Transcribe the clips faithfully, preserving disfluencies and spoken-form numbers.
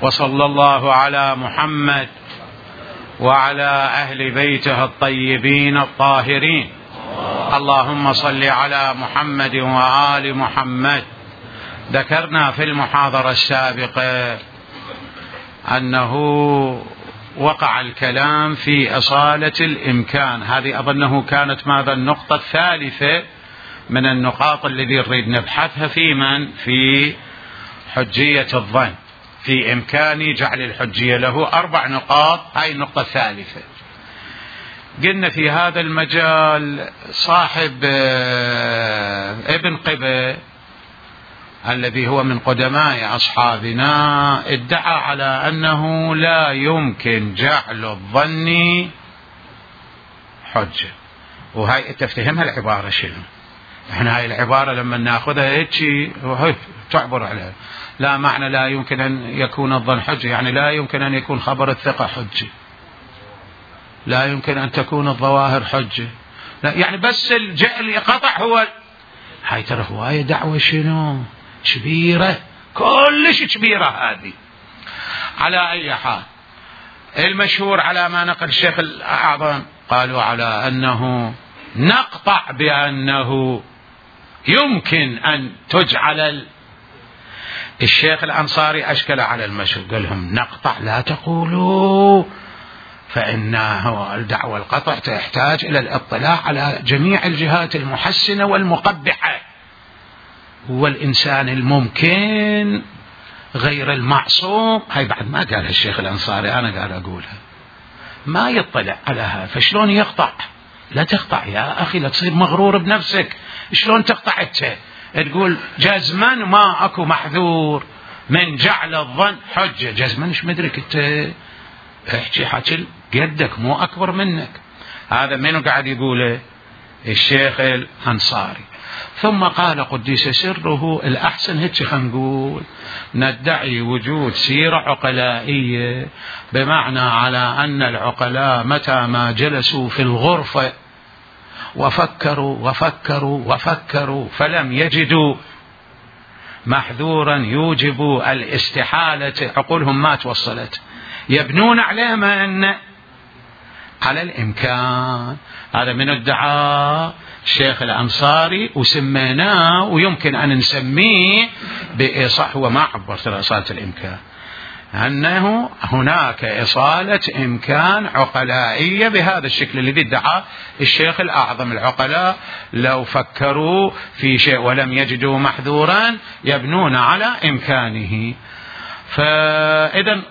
وصلى الله على محمد وعلى أهل بيته الطيبين الطاهرين. اللهم صل على محمد وآل محمد. ذكرنا في المحاضرة السابقة أنه وقع الكلام في إصالة الإمكان، هذه أظنه كانت ماذا النقطة الثالثة من النقاط التي نريد نبحثها في من في حجية الظن، في إمكان جعل الحجية له أربع نقاط، هاي النقطة الثالثة. قلنا في هذا المجال صاحب ابن قبة الذي هو من قدماء أصحابنا ادعى على أنه لا يمكن جعل الظن حجة، وهاي تفتهمها العبارة شنو؟ احنا هاي العبارة لما ناخذها هيك تعبر عليها، لا معنى لا يمكن أن يكون الظن حجة، يعني لا يمكن أن يكون خبر الثقة حجة، لا يمكن أن تكون الظواهر حجة، لا يعني بس الجعل قطع هو. هاي ترى هواية دعوة شنو كبيرة، كلش كبيرة هذه. على أي حال المشهور على ما نقل الشيخ الأعظم قالوا على أنه نقطع بأنه يمكن أن تجعل. الشيخ الأنصاري أشكل على المشهور، قال لهم نقطع لا تقولوا، فإنه الدعوة القطع تحتاج إلى الاطلاع على جميع الجهات المحسنة والمقبحة. هو الإنسان الممكن غير المعصوم، هاي بعد ما قالها الشيخ الأنصاري، أنا قال أقولها، ما يطلع على هذا، فشلون يقطع؟ لا تقطع يا أخي، لا تصير مغرور بنفسك. شلون تقطع انت؟ تقول جزما ما أكو محذور من جعل الظن حجة، جزما مش مدرك انت، احكي حكي قدك مو أكبر منك. هذا منو قاعد يقوله؟ الشيخ الأنصاري. ثم قال قديس سره الأحسن هيك خلينا نقول ندعي وجود سيرة عقلائية، بمعنى على أن العقلاء متى ما جلسوا في الغرفة وفكروا وفكروا وفكروا فلم يجدوا محذورا يوجب الاستحالة، عقولهم ما توصلت، يبنون على من؟ على الإمكان. هذا من ادعاء الشيخ الأنصاري، وسميناه ويمكن أن نسميه بإصالة، هو ما عبر ترى إصالة الإمكان، أنه هناك إصالة إمكان عقلائية بهذا الشكل الذي ادعى الشيخ الأعظم. العقلاء لو فكروا في شيء ولم يجدوا محذورا يبنون على إمكانه. فإذا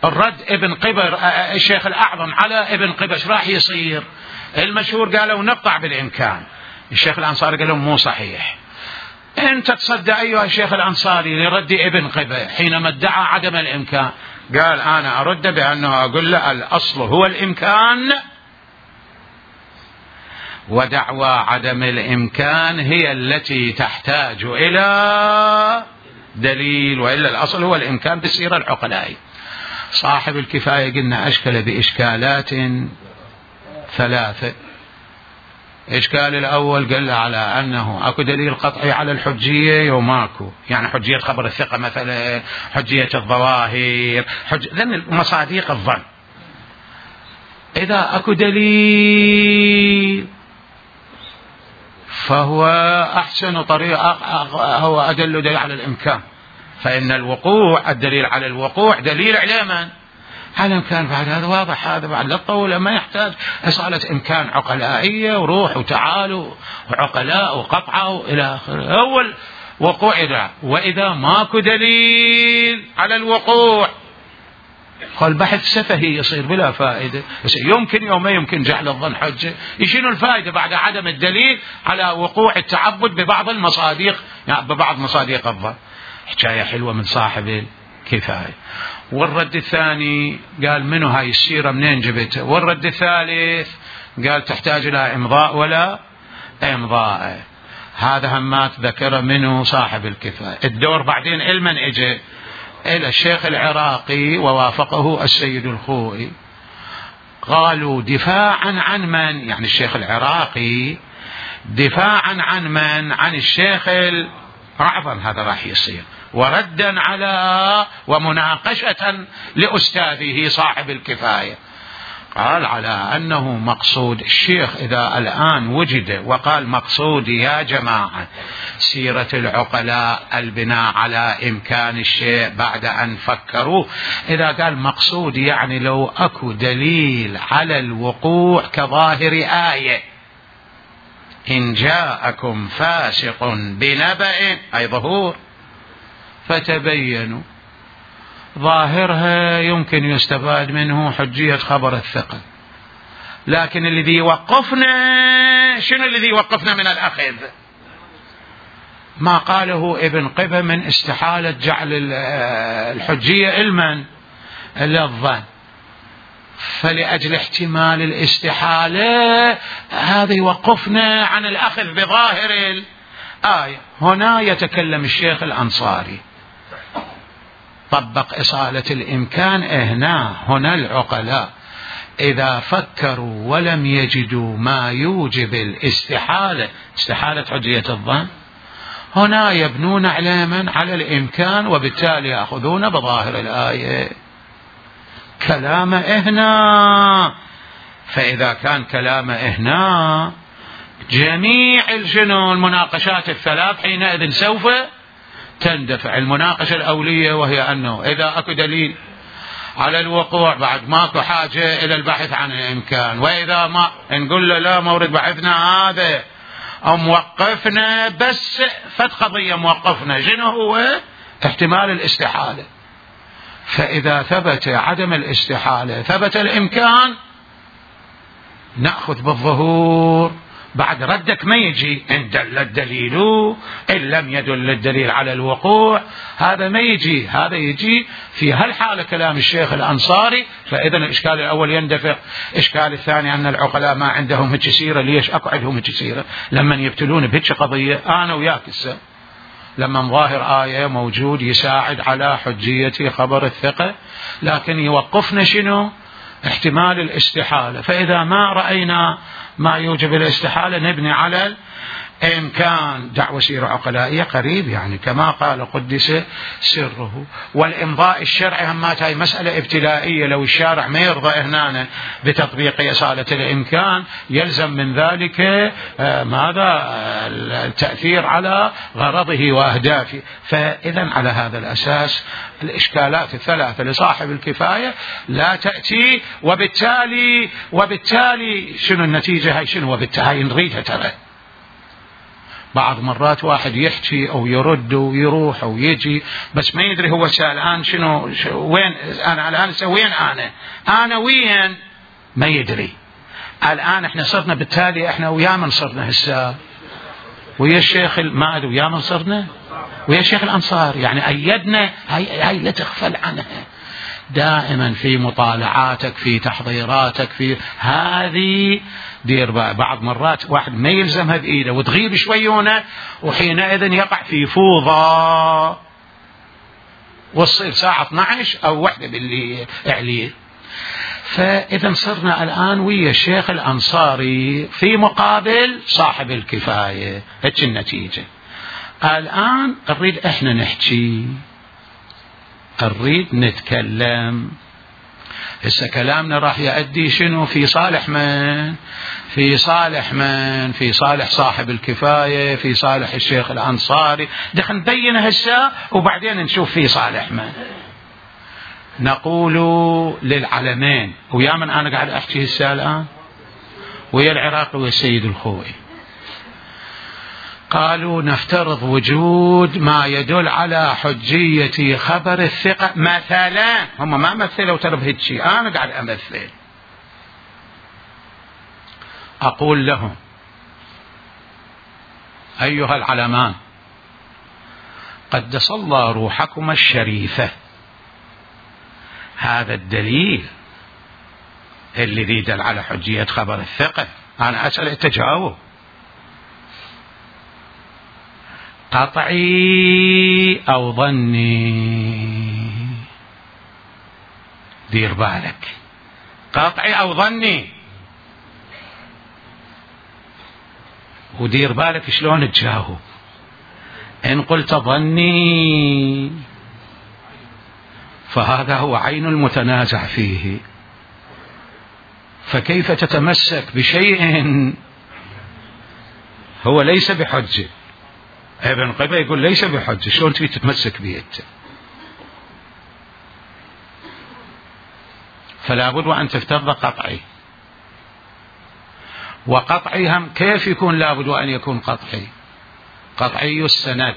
الرد ابن قبر الشيخ الأعظم على ابن قبر ايش راح يصير؟ المشهور قالوا نقطع بالإمكان، الشيخ الأنصاري قالوا مو صحيح. أنت تصدى أيها الشيخ الأنصاري لرد ابن قبة حينما ادعى عدم الإمكان؟ قال أنا أرد بأنه أقول له الأصل هو الإمكان، ودعوى عدم الإمكان هي التي تحتاج إلى دليل، وإلا الأصل هو الإمكان بالسيرة العقلائية. صاحب الكفاية قلنا أشكل بإشكالات ثلاثة. إشكال الأول قال على أنه أكو دليل قطعي على الحجية وماكو، يعني حجية خبر الثقة مثلا، حجية الظواهر، حج... ذن مصاديق الظن. إذا أكو دليل فهو أحسن طريقة، هو أدل دليل على الإمكان، فإن الوقوع الدليل على الوقوع دليل على من؟ على الإمكان. بعد هذا واضح، هذا بعد لا تطول، ما يحتاج إصالة إمكان عقلائية وروح وتعالوا وعقلاء وقطعوا إلى آخره. أول وقوع إذا، وإذا ماكو دليل على الوقوع فالبحث سفهي يصير بلا فائدة، يمكن يوم ما يمكن جعل الظن حجة، يشيل الفائدة بعد عدم الدليل على وقوع التعبد ببعض المصاديق، يعني ببعض مصاديق الظن. حكاية حلوة من صاحب الكفاية. والرد الثاني قال منو هاي السيرة منين جبتها؟ والرد الثالث قال تحتاج إلى إمضاء ولا إمضاء. هذا همات ذكر منه صاحب الكفاية. الدور بعدين المن اجى إلى الشيخ العراقي ووافقه السيد الخوئي، قالوا دفاعا عن من؟ يعني الشيخ العراقي دفاعا عن من؟ عن الشيخ الأعظم. هذا راح يصير وردا على ومناقشة لأستاذه صاحب الكفاية. قال على أنه مقصود الشيخ إذا الآن وجد وقال مقصودي يا جماعة سيرة العقلاء البناء على إمكان الشيء بعد أن فكروا، إذا قال مقصودي يعني لو أكو دليل على الوقوع كظاهر آية إن جاءكم فاسق بنبأ أي ظهور فتبينوا، ظاهرها يمكن يستفاد منه حجية خبر الثقة، لكن الذي يوقفنا شنو الذي يوقفنا من الأخذ؟ ما قاله ابن قبة من استحالة جعل الحجية علما إلا الظن، فلأجل احتمال الاستحالة هذا يوقفنا عن الأخذ بظاهر الآية. هنا يتكلم الشيخ الأنصاري طبق إصالة الإمكان. هنا هنا العقلاء إذا فكروا ولم يجدوا ما يوجب الاستحالة، استحالة حجية الظن، هنا يبنون علما على الإمكان وبالتالي يأخذون بظاهر الآية. كلام هنا، فإذا كان كلام هنا جميع الجنون المناقشات الثلاث حينئذ سوف تندفع. المناقشة الأولية وهي أنه إذا أكو دليل على الوقوع بعد ماكو حاجة إلى البحث عن الإمكان، وإذا ما نقول له لا مورد بحثنا هذا أو موقفنا بس فت قضية موقفنا شنو هو؟ احتمال الاستحالة. فإذا ثبت عدم الاستحالة ثبت الإمكان نأخذ بالظهور. بعد ردك ما يجي إن دل الدليل إن لم يدل الدليل على الوقوع، هذا ما يجي، هذا يجي في هالحالة كلام الشيخ الأنصاري. فإذا الإشكال الأول يندفع. إشكال الثاني أن العقلاء ما عندهم هيك سيرة. ليش أكو عندهم هيك سيرة؟ لما يبتلون بهيك قضية أنا وياك السا لما ظاهر آية موجود يساعد على حجية خبر الثقة، لكن يوقفنا شنو؟ احتمال الاستحالة. فإذا ما رأينا ما يوجب الاستحالة نبني على الإمكان. دعوة سيرة عقلائية قريب يعني كما قال قدس سره. والإمضاء الشرعي همات هاي مسألة ابتلائية، لو الشارع ما يرضى هنا بتطبيق إصالة الإمكان يلزم من ذلك ماذا؟ التأثير على غرضه وأهدافه. فإذا على هذا الأساس الإشكالات الثلاثة لصاحب الكفاية لا تأتي، وبالتالي وبالتالي شنو النتيجة؟ هاي شنو؟ وبالتالي نريدها. ترى بعض مرات واحد يحكي أو يرد ويروح أو يجي بس ما يدري هو الآن شنو وين أنا الآن وين أنا أنا وين ما يدري. الآن احنا صرنا بالتالي احنا ويا من صرنا هسه ويا الشيخ ما أدري ويا من صرنا ويا الشيخ الأنصار، يعني أيدنا. هاي, هاي لا تغفل عنها دائما في مطالعاتك في تحضيراتك في هذه. دير بعض مرات واحد ما يلزمها بإيده وتغيب شويونه وحينئذ يقع في فوضى وتصير ساعة اثني عشر أو واحدة بالليل عليه. فإذا صرنا الآن ويا الشيخ الأنصاري في مقابل صاحب الكفاية. هيك النتيجة. الآن نريد احنا نحكي، نريد نتكلم. هسه كلامنا راح يؤدي شنو؟ في صالح من؟ في صالح من؟ في صالح صاحب الكفاية، في صالح الشيخ الأنصاري. دخل نبين هسه وبعدين نشوف في صالح من. نقول للعلمين ويا من أنا قاعد أحكي هسه الآن ويا العراقي والسيد الخوئي، قالوا نفترض وجود ما يدل على حجية خبر الثقة مثلا. هم ما مثلوا ترى بهالشيء، أنا قاعد أمثل. أقول لهم أيها العلمان قدس الله روحكم الشريفة، هذا الدليل الذي يدل على حجية خبر الثقة. أنا أسأل التجاوب قطعي أو ظني؟ دير بالك، قطعي أو ظني، ودير بالك شلون تجاوب. إن قلت ظني فهذا هو عين المتنازع فيه، فكيف تتمسك بشيء هو ليس بحجة؟ ابن قبة يقول ليس بحجة، شلون تريد تتمسك به أنت؟ فلا بد وأن تفترض قطعي، وقطعي هم كيف يكون؟ لا بد وأن يكون قطعي، قطعي السند،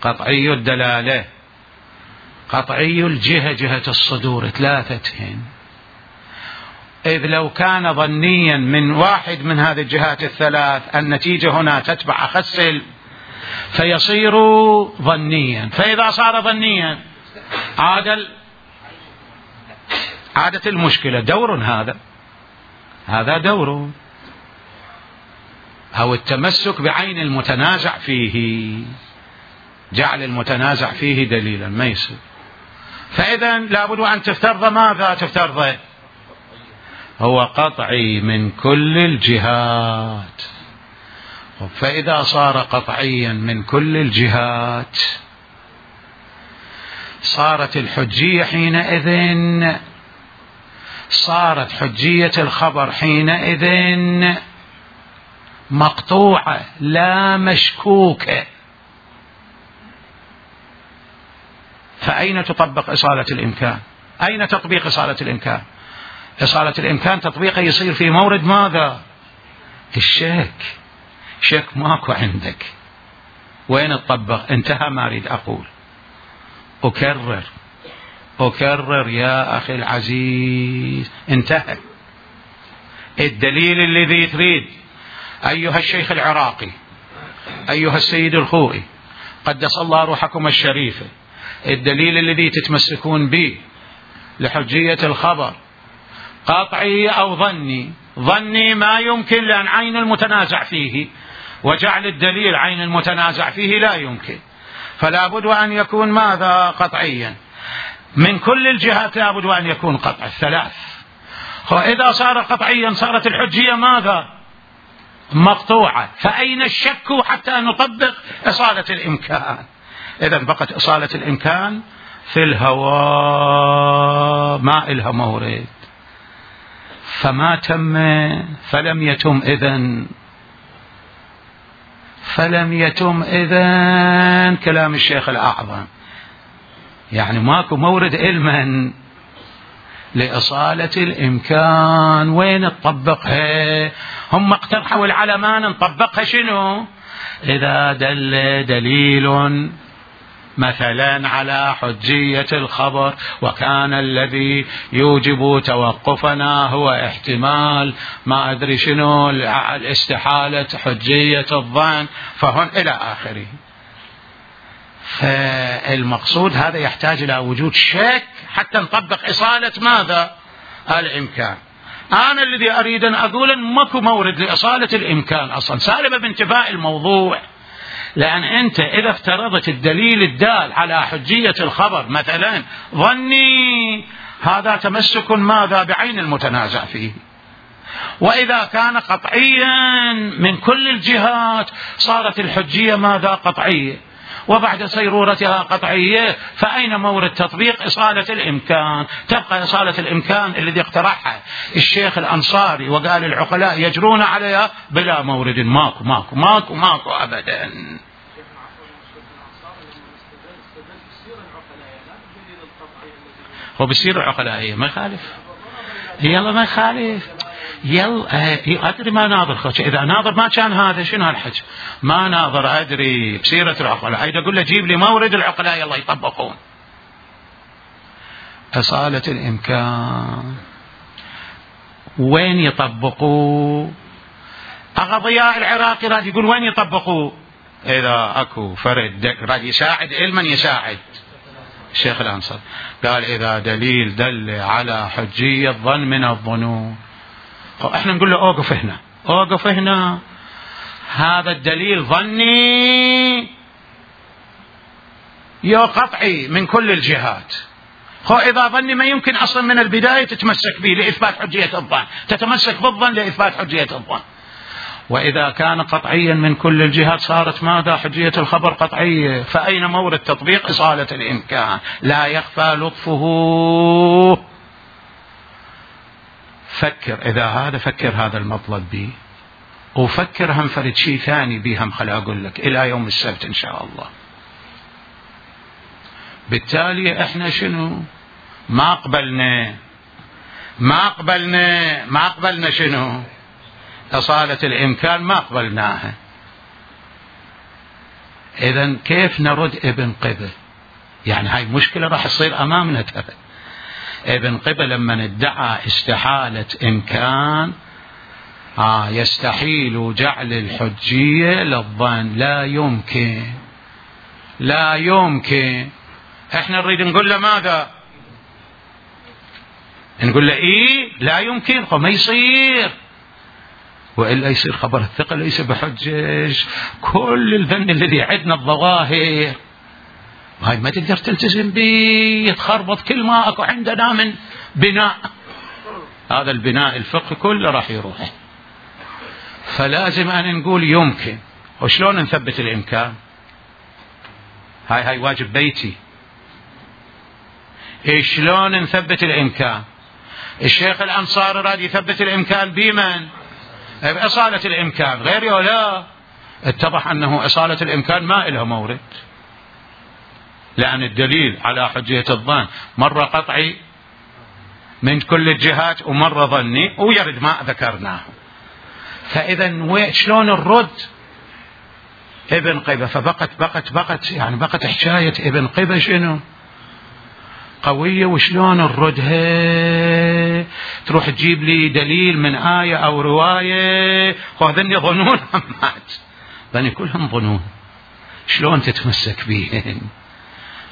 قطعي الدلالة، قطعي الجهة، جهة الصدور، ثلاثتهن. إذ لو كان ظنيا من واحد من هذه الجهات الثلاث النتيجة هنا تتبع أخس فيصير ظنيا، فإذا صار ظنيا عاد عادت المشكلة دور، هذا هذا دور، أو التمسك بعين المتنازع فيه، جعل المتنازع فيه دليلا ما يصير. فإذا لابد أن تفترض ماذا؟ تفترض هو قطعي من كل الجهات. فإذا صار قطعيا من كل الجهات صارت الحجية حينئذ، صارت حجية الخبر حينئذ مقطوعة لا مشكوكة. فأين تطبق إصالة الإمكان؟ أين تطبيق إصالة الإمكان؟ إصالة الإمكان تطبيقه يصير في مورد ماذا؟ الشك. شك ماكو عندك، وين تطبق؟ انتهى ما أريد أقول. أكرر أكرر يا أخي العزيز، انتهى. الدليل الذي تريد أيها الشيخ العراقي، أيها السيد الخوئي، قدس الله روحكم الشريفة، الدليل الذي تتمسكون به لحجية الخبر قطعي أو ظني؟ ظني ما يمكن، لأن عين المتنازع فيه، وجعل الدليل عين المتنازع فيه لا يمكن، فلا بد أن يكون ماذا؟ قطعيا من كل الجهات، لا بد أن يكون قطع الثلاث. وإذا صار قطعيا صارت الحجية ماذا؟ مقطوعة. فأين الشك حتى نطبق إصالة الإمكان؟ إذن بقت إصالة الإمكان في الهواء، ما إلها مورد، فما تم، فلم يتم إذن فلم يتم إذن كلام الشيخ الأعظم، يعني ماكو مورد علما لإصالة الإمكان. وين تطبقها؟ هم اقترحوا العلمان نطبقها شنو؟ إذا دل دليل مثلا على حجية الخبر وكان الذي يوجب توقفنا هو احتمال ما أدري شنو الاستحالة حجية الظن، فهن إلى آخره. فالمقصود هذا يحتاج إلى وجود شك حتى نطبق إصالة ماذا؟ الإمكان. أنا الذي أريد أن أقول أن ماكو مورد لإصالة الإمكان أصلا، سالبة بانتفاء الموضوع. لأن أنت إذا افترضت الدليل الدال على حجية الخبر مثلا ظني، هذا تمسك ماذا؟ بعين المتنازع فيه. وإذا كان قطعيا من كل الجهات صارت الحجية ماذا؟ قطعية، وبعد صيرورتها قطعية، فأين مورد تطبيق إصالة الإمكان؟ تبقى إصالة الإمكان الذي اقترحها الشيخ الأنصاري وقال العقلاء يجرون عليها بلا مورد، ماكو ماكو ماكو ماكو أبدا. هو بيصير العقلائية ما يخالف، يلا ما يخالف، يلا أدري ما ناظر خوش، إذا ناظر ما كان هذا شنو هالحج؟ ما ناظر أدري بسيرة العقلاء، هيدا أقول له جيب لي مورد العقلاء يلا يطبقون. إصالة الإمكان وين يطبقوا؟ أغضياء العراقي راد يقول وين يطبقوا؟ إذا أكو فرد راد يساعد علما يساعد الشيخ الأنصاري، قال إذا دليل دل على حجية ظن من الظنون، احنا نقول له اوقف هنا، اوقف هنا، هذا الدليل ظني يا قطعي من كل الجهات. هو إذا ظني ما يمكن أصلا من البداية تتمسك به لإثبات حجية الظن، تتمسك بالظن لإثبات حجية الظن. وإذا كان قطعيا من كل الجهات صارت ماذا؟ حجية الخبر قطعية. فأين مورد تطبيق إصالة الإمكان؟ لا يخفى لطفه. فكر إذا هذا، فكر هذا المطلب بي، وفكر هم فرد شيء ثاني بيهم خل أقول لك إلى يوم السبت إن شاء الله. بالتالي إحنا شنو؟ ما قبلنا ما قبلنا ما قبلنا شنو؟ إصالة الإمكان ما قبلناها. إذن كيف نرد ابن قبة؟ يعني هاي مشكلة راح تصير أمامنا ترى. ابن قبة لما ادعى استحالة إمكان آه يستحيل جعل الحجية للظن، لا يمكن لا يمكن. احنا نريد نقول له ماذا؟ نقول له ايه لا يمكن، ما يصير، وإلا يصير خبر الثقة ليس بحجج. كل الفن الذي عندنا الظواهر هاي ما تقدر تلتزم به، يتخربط كل ما اكو عندنا من بناء، هذا البناء الفقهي كله راح يروح. فلازم أن نقول يمكن. وشلون نثبت الإمكان؟ هاي هاي واجب بيتي. إيش شلون نثبت الإمكان؟ الشيخ الأنصاري راد يثبت الإمكان بمن؟ بإصالة الإمكان. غير ولا لا؟ اتضح أنه إصالة الإمكان ما إلها مورد، لأن الدليل على حجية الظن مرة قطعي من كل الجهات ومرة ظني، ويرد ما ذكرناه. فإذا شلون الرد؟ ابن قبة. فبقت بقت بقت يعني بقت حكاية ابن قبة شنو؟ قوية. وشلون نردها؟ تروح تجيب لي دليل من آية أو رواية، وهذن يظنون همات، ذني كلهم ظنون، شلون تتمسك بيهن؟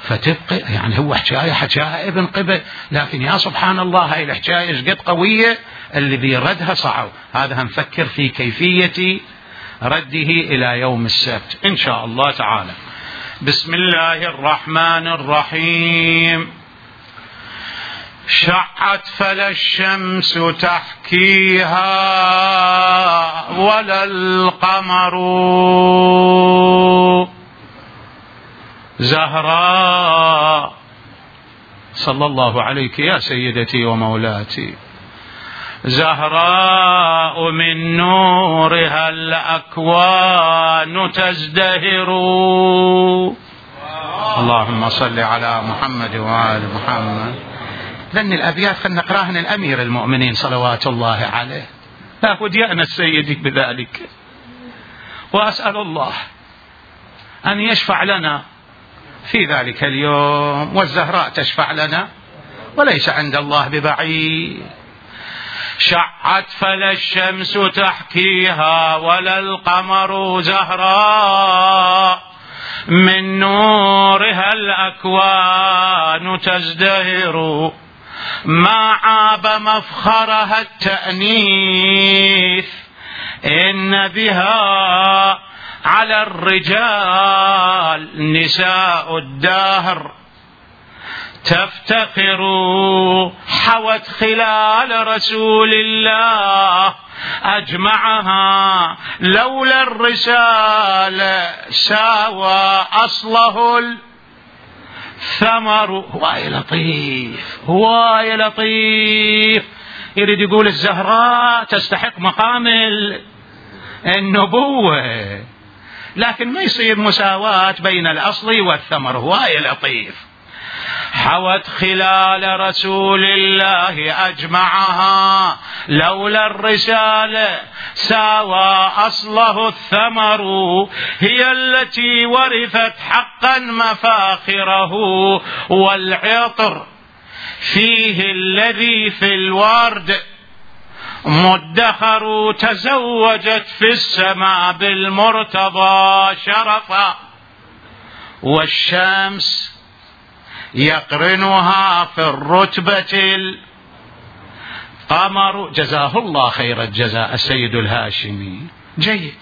فتبقى يعني هو حكاية حكاها ابن قبة، لكن يا سبحان الله هاي الحكاية ايش قد قوية، الذي ردها صعب. هذا هنفكر في كيفية رده إلى يوم السبت إن شاء الله تعالى. بسم الله الرحمن الرحيم. شعت فلا الشمس تحكيها ولا القمر زهراء. صلى الله عليك يا سيدتي ومولاتي. زهراء من نورها الأكوان تزدهر. اللهم صل على محمد وآل محمد. لأن الأبيات خلنا نقراهن الأمير المؤمنين صلوات الله عليه، لا وديعنا السيدي بذلك. وأسأل الله أن يشفع لنا في ذلك اليوم، والزهراء تشفع لنا وليس عند الله ببعيد. شعت فلا الشمس تحكيها ولا القمر زهراء من نورها الأكوان تزدهر. ما عاب مفخرها التأنيث إن بها على الرجال نساء الدهر تفتخر. حوت خلال رسول الله أجمعها لولا الرسالة ساوى أصله الثمر. هواي لطيف هواي لطيف. يريد يقول الزهراء تستحق مقام النبوة، لكن ما يصير مساواة بين الأصل والثمر. هواي لطيف. حوت خلال رسول الله أجمعها لولا الرسالة ساوى أصله الثمر. هي التي ورثت حقا مفاخره والعطر فيه الذي في الورد مدخر. تزوجت في السماء بالمرتضى شرفا والشمس يقرنها في الرتبة القمر. جزاه الله خير الجزاء السيد الهاشمي. جيد.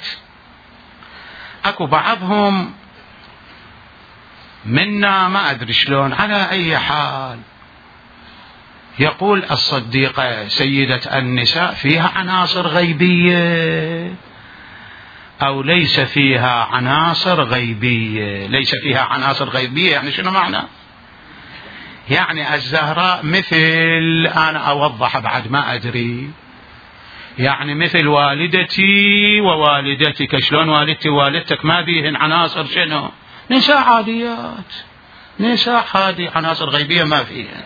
اكو بعضهم منا ما ادري شلون على اي حال يقول الصديقة سيدة النساء فيها عناصر غيبية. أو ليس فيها عناصر غيبية. ليس فيها عناصر غيبية يعني شنو معنى؟ يعني الزهراء مثل، أنا أوضح بعد ما أدري، يعني مثل والدتي ووالدتك. شلون والدتي ووالدتك ما بيهن عناصر شنو؟ نساء عاديات، نساء عادي، عناصر غيبية ما فيها.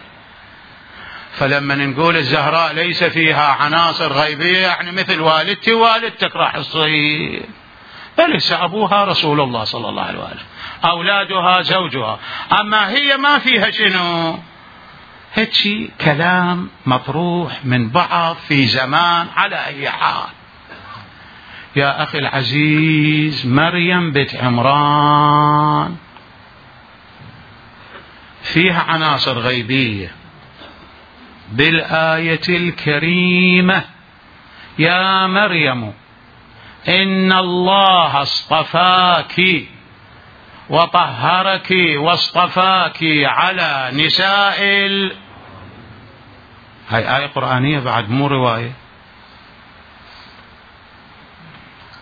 فلما نقول الزهراء ليس فيها عناصر غيبية يعني مثل والدتي ووالدتك راح تصير. فليس أبوها رسول الله صلى الله عليه وآله، أولادها زوجها، أما هي ما فيها شنو؟ هيك كلام مطروح من بعض في زمان. على أي حال يا أخي العزيز، مريم بنت عمران فيها عناصر غيبية بالآية الكريمة: يا مريم إن الله اصطفاك وطهرك واصطفاك على نساء ال... هاي آية قرآنية بعد، مو رواية.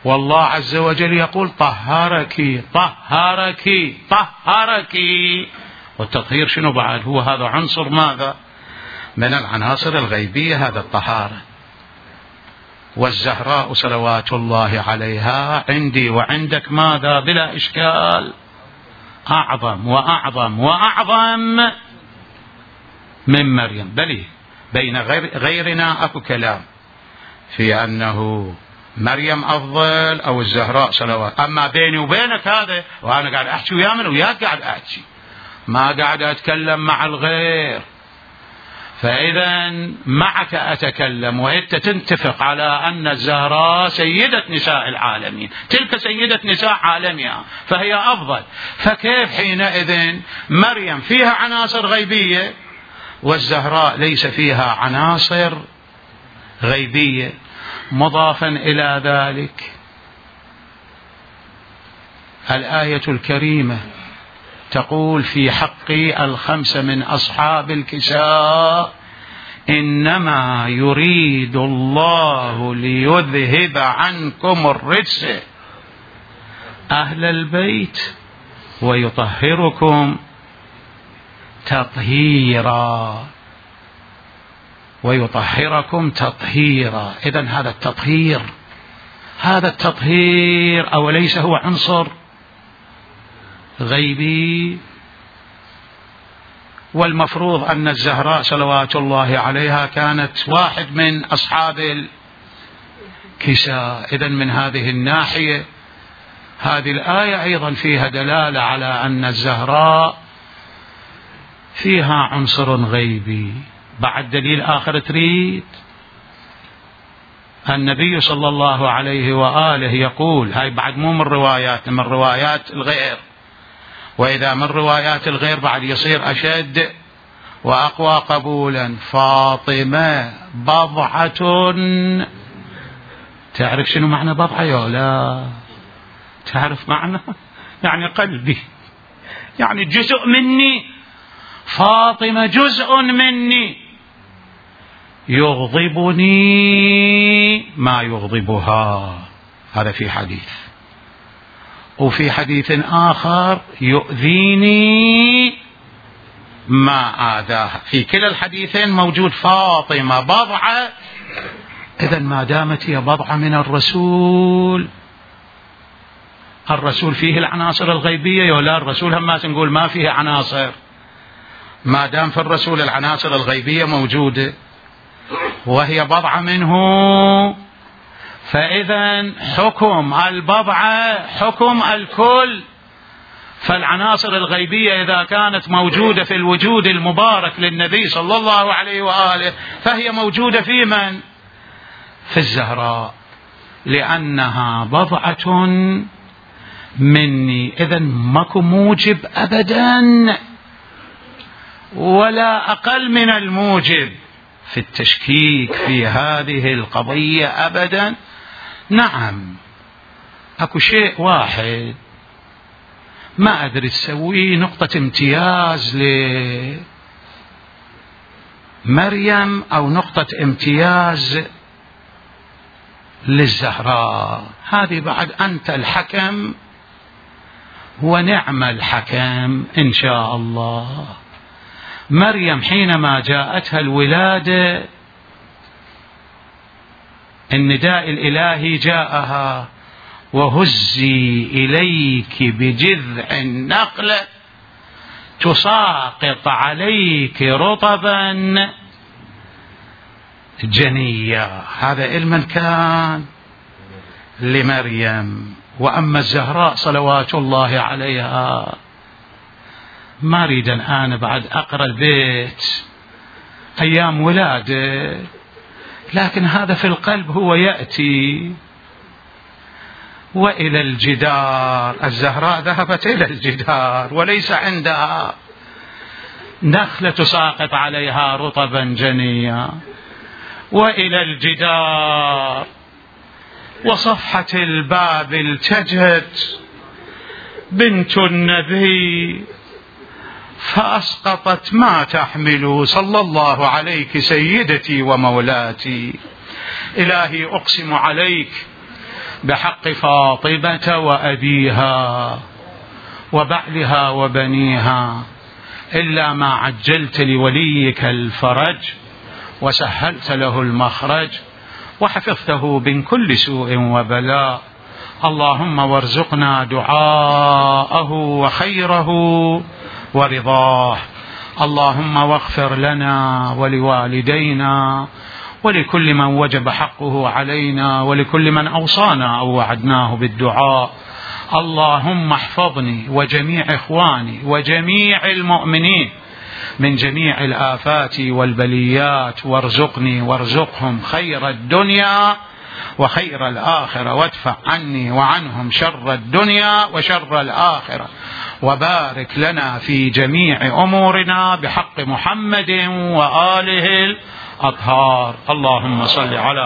والله عز وجل يقول طهرك طهرك طهرك. والتطهير شنو بعد؟ هو هذا عنصر ماذا؟ من العناصر الغيبية، هذا الطهارة. والزهراء صلوات الله عليها عندي وعندك ماذا؟ بلا إشكال أعظم وأعظم وأعظم من مريم. بل بين غير غيرنا أكو كلام في أنه مريم أفضل أو الزهراء صلوات. أما بيني وبينك هذا، وأنا قاعد أحكي ويا من وياك قاعد أحكي، ما قاعد أتكلم مع الغير. فإذا معك أتكلم وأنت تتفق على أن الزهراء سيدة نساء العالمين، تلك سيدة نساء عالمها فهي أفضل. فكيف حينئذ مريم فيها عناصر غيبية والزهراء ليس فيها عناصر غيبية؟ مضافا إلى ذلك الآية الكريمة تقول في حق الخمسة من أصحاب الكساء: إنما يريد الله ليذهب عنكم الرجس أهل البيت ويطهركم تطهيرا ويطهركم تطهيرا. إذن هذا التطهير هذا التطهير أوليس هو عنصر غيبي؟ والمفروض أن الزهراء صلوات الله عليها كانت واحد من أصحاب الكساء. إذن من هذه الناحية هذه الآية أيضا فيها دلالة على أن الزهراء فيها عنصر غيبي. بعد دليل آخر تريد؟ النبي صلى الله عليه وآله يقول، هاي بعد مو من روايات، من روايات الغير، وإذا من روايات الغير بعد يصير أشد وأقوى قبولا: فاطمة بضعة. تعرف شنو معنى بضعة يا لا؟ تعرف معنى؟ يعني قلبي، يعني جزء مني. فاطمة جزء مني، يغضبني ما يغضبها، هذا في حديث. وفي حديث آخر يؤذيني ما آذاها. في كلا الحديثين موجود فاطمة بضعة. إذن ما دامت هي بضعة من الرسول، الرسول فيه العناصر الغيبية ولا الرسول هم ما نقول ما فيه عناصر؟ ما دام في الرسول العناصر الغيبية موجودة وهي بضعة منه، فإذا حكم البضعة حكم الكل. فالعناصر الغيبية إذا كانت موجودة في الوجود المبارك للنبي صلى الله عليه وآله فهي موجودة في من؟ في الزهراء، لأنها بضعة مني. إذن ماكو موجب أبدا ولا أقل من الموجب في التشكيك في هذه القضية أبدا. نعم أكو شيء واحد ما أدري تسويه نقطة امتياز لمريم أو نقطة امتياز للزهراء. هذه بعد أنت الحكم ونعم الحكم إن شاء الله. مريم حينما جاءتها الولادة النداء الإلهي جاءها: وهزي إليك بجذع النخلة تساقط عليك رطبا جنيا. هذا علما كان لمريم. وأما الزهراء صلوات الله عليها، ما أريد أنا بعد أقرأ البيت أيام ولادة، لكن هذا في القلب هو يأتي. وإلى الجدار، الزهراء ذهبت إلى الجدار وليس عندها نخلة تساقط عليها رطبا جنيا. وإلى الجدار وصفحة الباب التجت بنت النبي فأسقطت ما تحمل صلى الله عليك سيدتي ومولاتي. إلهي أقسم عليك بحق فاطمة وأبيها وبعلها وبنيها، إلا ما عجلت لوليك الفرج وسهلت له المخرج وحفظته من كل سوء وبلاء. اللهم وارزقنا دعاءه وخيره ورضاه. اللهم واغفر لنا ولوالدينا ولكل من وجب حقه علينا ولكل من أوصانا أو وعدناه بالدعاء. اللهم احفظني وجميع إخواني وجميع المؤمنين من جميع الآفات والبليات، وارزقني وارزقهم خير الدنيا وخير الآخرة، وادفع عني وعنهم شر الدنيا وشر الآخرة، وبارك لنا في جميع أمورنا بحق محمد وآله الأطهار. اللهم صل على